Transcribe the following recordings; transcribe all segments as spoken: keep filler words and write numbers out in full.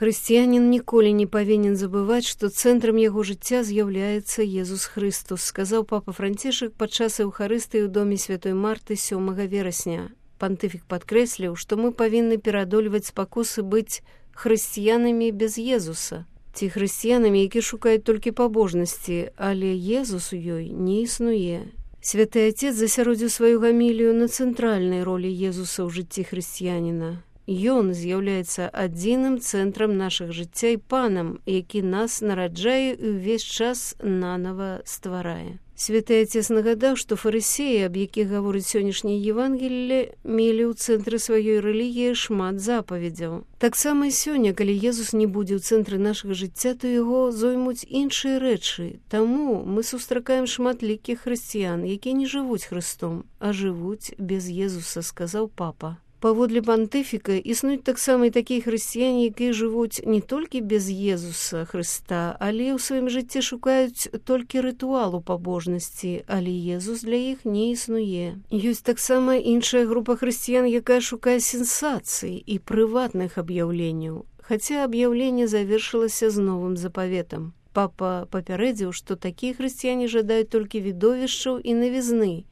Хрысціянін ніколі не павінен забываць, што цэнтрам яго жыцця з'яўляецца Езус Христус, сказаў папа Францішак падчас эўхарыстыі ў доме святой Марты сёмага верасня. Пантыфік падкрэсліў, што мы павінны пераадольваць спакусы быць хрысціянамі без Езуса, ці хрысціянамі, які шукаюць толькі пабожнасці, але Езус у ёй не існуе. Святы Отец засяродзіў сваю гамілію на цэнтральнай ролі Езуса ў жыцці хрысціяніна. Ён з'яўляецца адзіным цэнтрам нашых жыцця і панам, які нас нараджае і ўвесь час нанава стварае. Святы Отец нагадаў, што фарысеі, аб якіх гаворыць сённяшняе Евангелле, мелі ў цэнтры сваёй рэлігіі шмат запаведзяў. Таксама і сёння, калі Езус не будзе ў цэнтры нашага жыцця, то яго зоймуць іншыя рэчы. Таму мы сустракаем шматлікіх хрысціян, якія не жывуць Хрыстом, а жывуць без Езуса, сказаў папа. Паводле пантыфіка існуюць таксама і такія хрысціяне, якія жывуць не толькі без Езуса Хрыста, але ў сваім жыцці шукаюць толькі рытуалу пабожнасці, але Езус для іх не існуе. Ёсць таксама іншая група хрысціян, якая шукае сенсацый і прыватных аб'яўленняў, хаця аб'яўленне завершылася з новым запаветам. Папа папярэдзіў, што такія хрысціяне жадаюць толькі відовішчаў і навізны,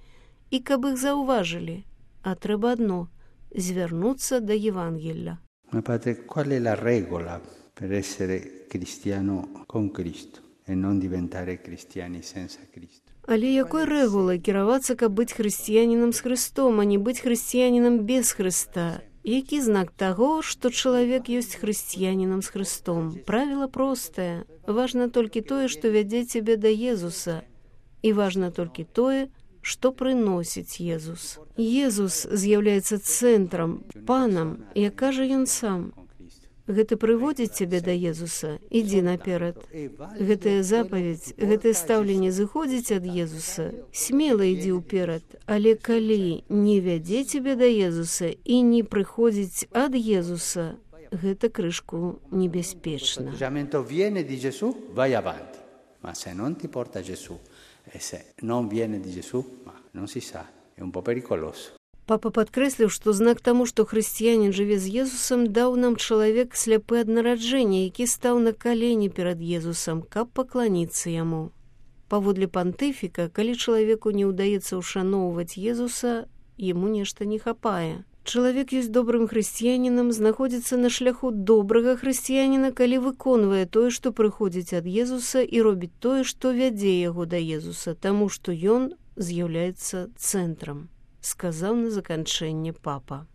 і каб іх заўважылі, а трэба адно – звярнуцца да Евангелля. Ma padre, qual è la regola per essere cristiano con Cristo e non diventare cristiani senza Cristo? Але якой рэгулай кіравацца, каб быць хрысціянінам з Христом, а не быць хрысціянінам без Христа? Які знак таго, што чалавек ёсць хрысціянінам з Христом? Правіла простае. Важна толькі тое, што вядзе цябе да Езуса. І важна толькі тое, што прыносіць Езус. Езус з'яўляецца цэнтрам, панам, як кажа ён сам. Гэта прыводзіць цябе да Езуса, ідзі наперад. Гэтая запаведь, гэтае стаўленне зыходзіць ад Езуса, смела ідзі ўперад, але калі не вядзе цябе да Езуса і не прыходзіць ад Езуса, гэта крышку небяспечна. Viene di Gesù, vai avanti, ma se non ti porta Gesù, e se non viene di Gesù, ma non si sa, è un po' pericoloso. Папа падкрэсліў, што знак таму, што хрысціянін жыве з Езусам, даў нам чалавек сляпы ад нараджэння, які стаў на калені перад Езусам, каб пакланіцца яму. Паводле пантыфіка, калі чалавеку не ўдаецца ўшаноўваць Езуса, яму нешта не хапае. Чалавек ёсць добрым хрысціянінам, знаходзіцца на шляху добрага хрысціяніна, калі выконвае тое, што прыходзіць ад Езуса, і робіць тое, што вядзе яго да Езуса, таму што ён з'яўляецца цэнтрам, сказаў на заканчэнне папа.